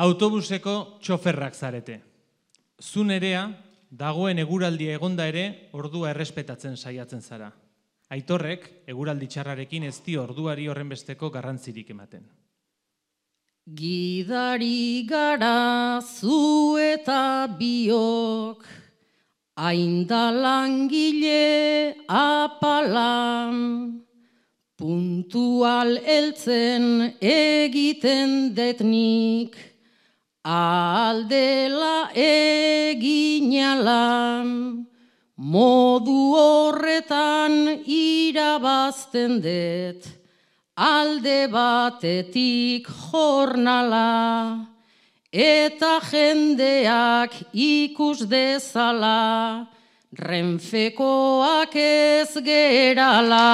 Autobuseko txoferrak zarete. Zu nerea, dagoen eguraldia egonda ere, ordua errespetatzen saiatzen zara. Aitorrek, eguraldi txarrarekin ez dio orduari horrenbesteko garrantzirik ematen. Gidari gara zu eta biok, hainda langile apalan, puntual heltzen egiten detnik, aldela eginalan, modu horretan irabazten det, alde batetik jornala, eta jendeak ikus dezala, Renfekoak ez gerala.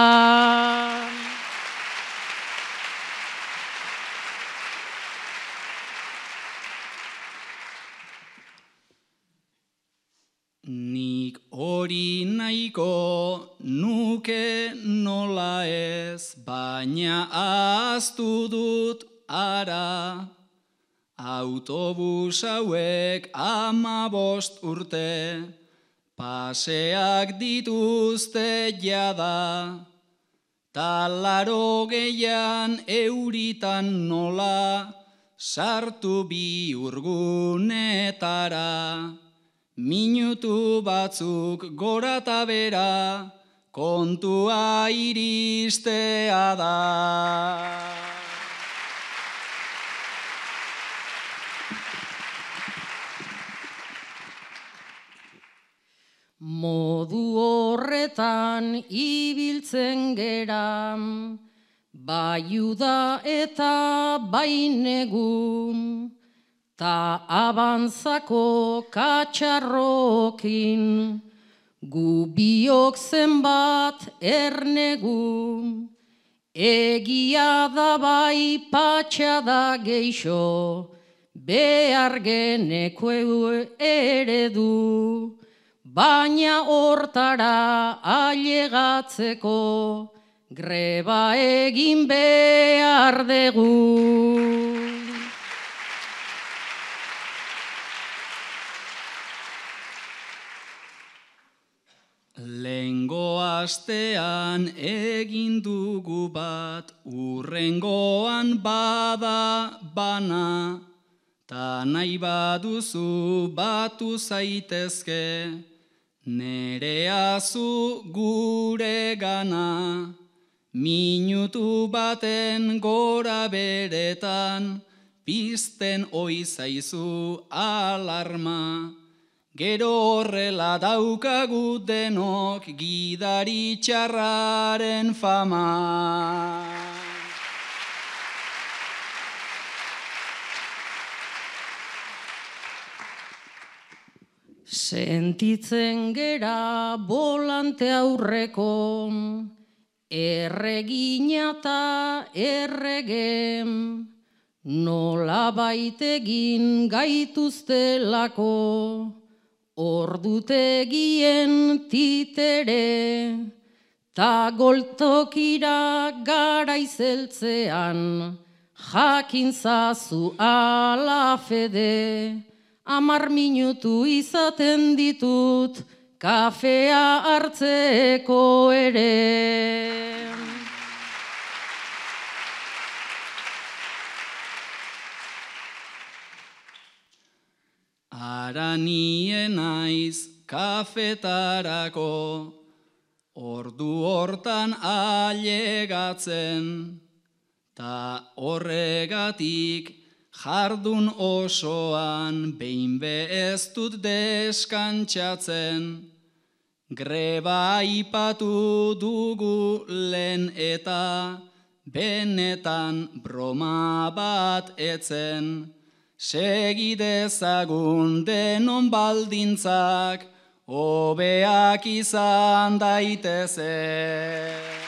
Nik hori nahiko nuke nola ez, baina ahaztu dut ara. Autobus hauek 15 urte, paseak dituzte jada. Ta 80 euritan nola, sartu bihurgunetara. Minutu batzuk gora eta bera, kontua iristea da. Modu horretan ibiltzen gera, bai uda eta bai negu, ta abantzako katxarrokin, gu biok zenbat ernegu, egia da bai patxada geixo, behar geneko eredu, baina hortara ailegatzeko, greba egin behar dugu. Lehengo astean egin dugu bat, urrengoan bada bana, ta nahi baduzu batu zaitezke, nerea zu gure gana. Minutu baten gora beretan, pizten oi zaizu alarma. Gero horrela daukagu denok gidari txarraren fama. Sentitzen gera bolante aurreko, erregina eta erregem, nola baitegin gaituztelako, ordutegien titere, ta goltokira garaizeltzean, jakintzazu ala fede, 10 minutu izaten ditut, kafea hartzeko ere. Ara nien naiz kafetarako, ordu hortan ailegatzen, ta horregatik jardun osoan behin ez dut deskantxatzen. Greba aipatu dugu lehen eta benetan broma bat etzen. Segidezagun denon baldintzak, hobeak izan daitezen.